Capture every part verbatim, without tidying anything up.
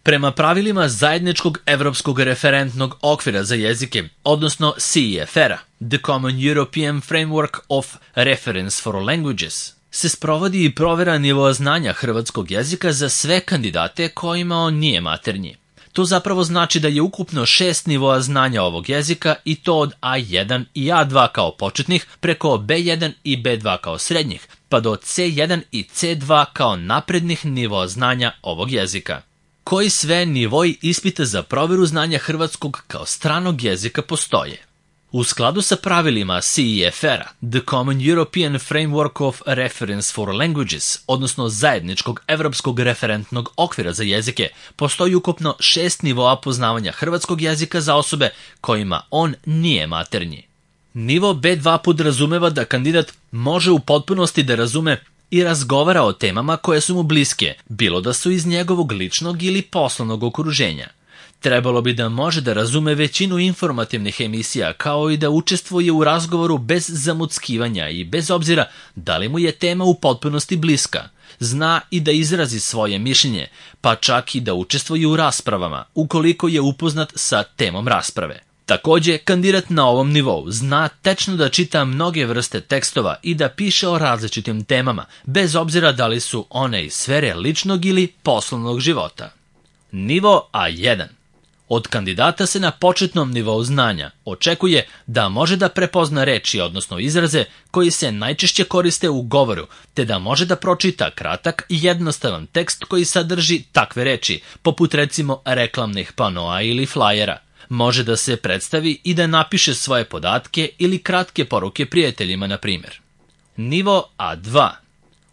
Prema pravilima Zajedničkog evropskog referentnog okvira za jezike, odnosno C E F R-a, The Common European Framework of Reference for Languages, se sprovodi i provera nivoa znanja hrvatskog jezika za sve kandidate kojima on nije maternji. To zapravo znači da je ukupno šest nivoa znanja ovog jezika i to od A jedan i A dva kao početnih preko B jedan i B dva kao srednjih, pa do C jedan i C dva kao naprednih nivoa znanja ovog jezika. Koji sve nivoi ispita za proveru znanja hrvatskog kao stranog jezika postoje? U skladu sa pravilima C E F R-a, The Common European Framework of Reference for Languages, odnosno Zajedničkog evropskog referentnog okvira za jezike, postoji ukupno šest nivoa poznavanja hrvatskog jezika za osobe kojima on nije maternji. Nivo B dva podrazumeva da kandidat može u potpunosti da razume i razgovara o temama koje su mu bliske, bilo da su iz njegovog ličnog ili poslovnog okruženja. Trebalo bi da može da razume većinu informativnih emisija, kao i da učestvuje u razgovoru bez zamuckivanja i bez obzira da li mu je tema u potpunosti bliska. Zna i da izrazi svoje mišljenje, pa čak i da učestvuje u raspravama, ukoliko je upoznat sa temom rasprave. Takođe, kandidat na ovom nivou zna tečno da čita mnoge vrste tekstova i da piše o različitim temama, bez obzira da li su one iz sfere ličnog ili poslovnog života. Nivo A jedan. Od kandidata se na početnom nivou znanja očekuje da može da prepozna reči, odnosno izraze, koji se najčešće koriste u govoru, te da može da pročita kratak i jednostavan tekst koji sadrži takve reči, poput recimo reklamnih panoa ili flajera. Može da se predstavi i da napiše svoje podatke ili kratke poruke prijateljima, na primjer. Nivo A dva.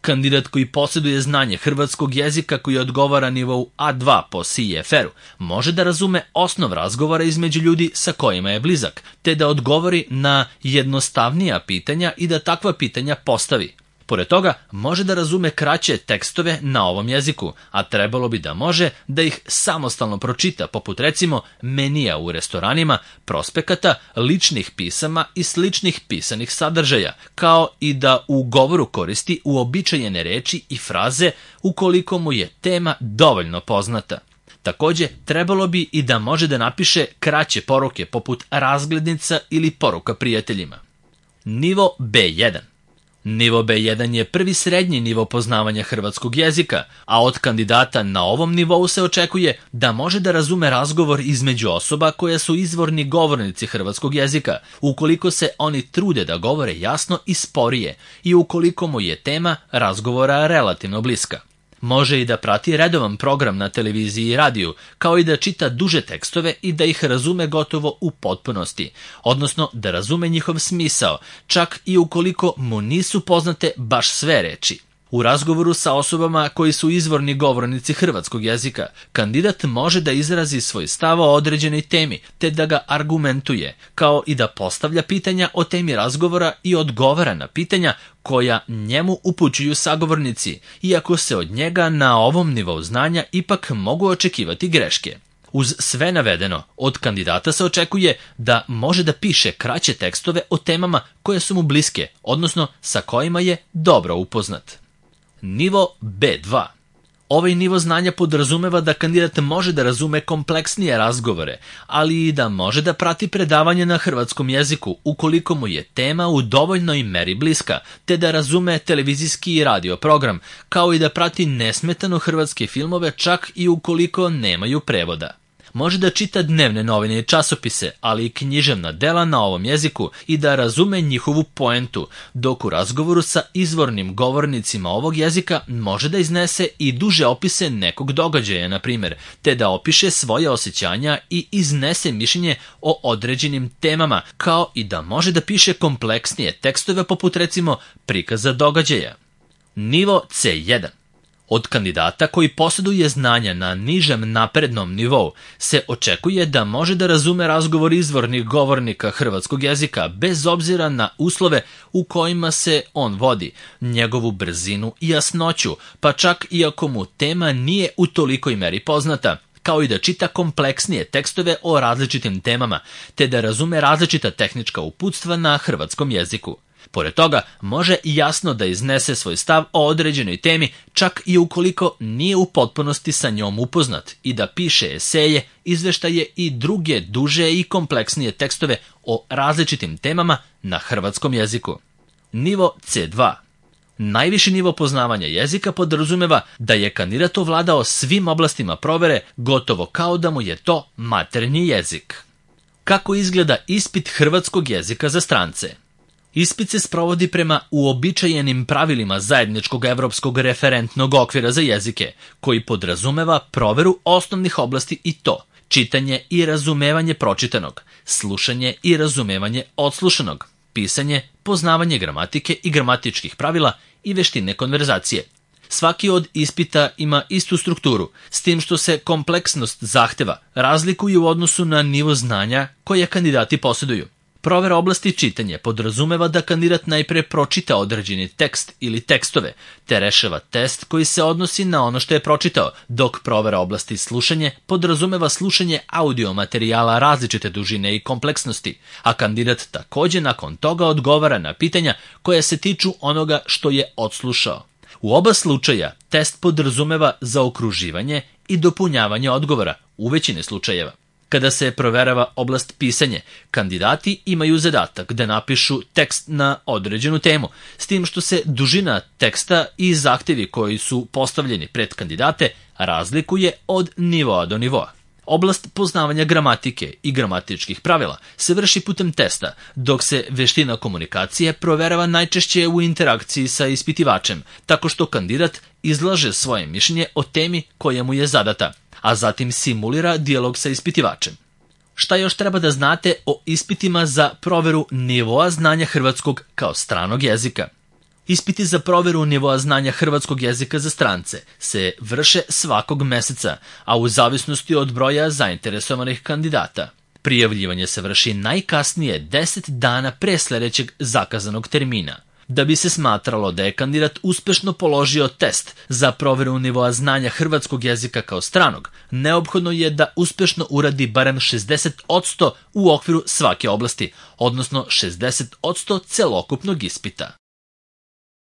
Kandidat koji posjeduje znanje hrvatskog jezika koji odgovara nivou A dva po C E F R-u može da razume osnov razgovora između ljudi sa kojima je blizak, te da odgovori na jednostavnija pitanja i da takva pitanja postavi. Pored toga, može da razume kraće tekstove na ovom jeziku, a trebalo bi da može da ih samostalno pročita, poput recimo menija u restoranima, prospekata, ličnih pisama i sličnih pisanih sadržaja, kao i da u govoru koristi uobičajene reči i fraze ukoliko mu je tema dovoljno poznata. Takođe, trebalo bi i da može da napiše kraće poruke poput razglednica ili poruka prijateljima. Nivo B jedan. Nivo B jedan je prvi srednji nivo poznavanja hrvatskog jezika, a od kandidata na ovom nivou se očekuje da može da razume razgovor između osoba koje su izvorni govornici hrvatskog jezika, ukoliko se oni trude da govore jasno i sporije i ukoliko mu je tema razgovora relativno bliska. Može i da prati redovan program na televiziji i radiju, kao i da čita duže tekstove i da ih razume gotovo u potpunosti, odnosno da razume njihov smisao, čak i ukoliko mu nisu poznate baš sve reči. U razgovoru sa osobama koji su izvorni govornici hrvatskog jezika, kandidat može da izrazi svoj stav o određenoj temi, te da ga argumentuje, kao i da postavlja pitanja o temi razgovora i odgovara na pitanja koja njemu upućuju sagovornici, iako se od njega na ovom nivou znanja ipak mogu očekivati greške. Uz sve navedeno, od kandidata se očekuje da može da piše kraće tekstove o temama koje su mu bliske, odnosno sa kojima je dobro upoznat. Nivo B dva. Ovaj nivo znanja podrazumeva da kandidat može da razume kompleksnije razgovore, ali i da može da prati predavanje na hrvatskom jeziku ukoliko mu je tema u dovoljnoj meri bliska, te da razume televizijski i radio program, kao i da prati nesmetano hrvatske filmove čak i ukoliko nemaju prevoda. Može da čita dnevne novine i časopise, ali i književna dela na ovom jeziku i da razume njihovu poentu, dok u razgovoru sa izvornim govornicima ovog jezika može da iznese i duže opise nekog događaja, na primjer, te da opiše svoje osjećanja i iznese mišljenje o određenim temama, kao i da može da piše kompleksnije tekstove poput recimo prikaza događaja. Nivo C jedan. Od kandidata koji posjeduje znanja na nižem naprednom nivou se očekuje da može da razume razgovor izvornih govornika hrvatskog jezika bez obzira na uslove u kojima se on vodi, njegovu brzinu i jasnoću, pa čak i ako mu tema nije u tolikoj meri poznata, kao i da čita kompleksnije tekstove o različitim temama, te da razume različita tehnička uputstva na hrvatskom jeziku. Pored toga, može jasno da iznese svoj stav o određenoj temi, čak i ukoliko nije u potpunosti sa njom upoznat, i da piše eseje, izveštaje i druge duže i kompleksnije tekstove o različitim temama na hrvatskom jeziku. Nivo C dva. Najviši nivo poznavanja jezika podrazumeva da je kandidat ovladao svim oblastima provere, gotovo kao da mu je to maternji jezik. Kako izgleda ispit hrvatskog jezika za strance? Ispit se sprovodi prema uobičajenim pravilima zajedničkog evropskog referentnog okvira za jezike, koji podrazumeva proveru osnovnih oblasti i to: čitanje i razumevanje pročitanog, slušanje i razumevanje odslušanog, pisanje, poznavanje gramatike i gramatičkih pravila i veštine konverzacije. Svaki od ispita ima istu strukturu, s tim što se kompleksnost zahteva razlikuje u odnosu na nivo znanja koje kandidati posjeduju. Provera oblasti čitanja podrazumeva da kandidat najpre pročita određeni tekst ili tekstove, te rešava test koji se odnosi na ono što je pročitao, dok provera oblasti slušanje podrazumeva slušanje audio materijala različite dužine i kompleksnosti, a kandidat takođe nakon toga odgovara na pitanja koja se tiču onoga što je odslušao. U oba slučaja test podrazumeva zaokruživanje i dopunjavanje odgovora u većini slučajeva. Kada se proverava oblast pisanje, kandidati imaju zadatak da napišu tekst na određenu temu, s tim što se dužina teksta i zahtevi koji su postavljeni pred kandidate razlikuje od nivoa do nivoa. Oblast poznavanja gramatike i gramatičkih pravila se vrši putem testa, dok se veština komunikacije proverava najčešće u interakciji sa ispitivačem, tako što kandidat izlaže svoje mišljenje o temi koja mu je zadata, a zatim simulira dijalog sa ispitivačem. Šta još treba da znate o ispitima za proveru nivoa znanja hrvatskog kao stranog jezika? Ispiti za proveru nivoa znanja hrvatskog jezika za strance se vrše svakog meseca, a u zavisnosti od broja zainteresovanih kandidata. Prijavljivanje se vrši najkasnije deset dana pre sledećeg zakazanog termina. Da bi se smatralo da je kandidat uspešno položio test za proveru nivoa znanja hrvatskog jezika kao stranog, neophodno je da uspešno uradi barem šezdeset posto u okviru svake oblasti, odnosno šezdeset posto celokupnog ispita.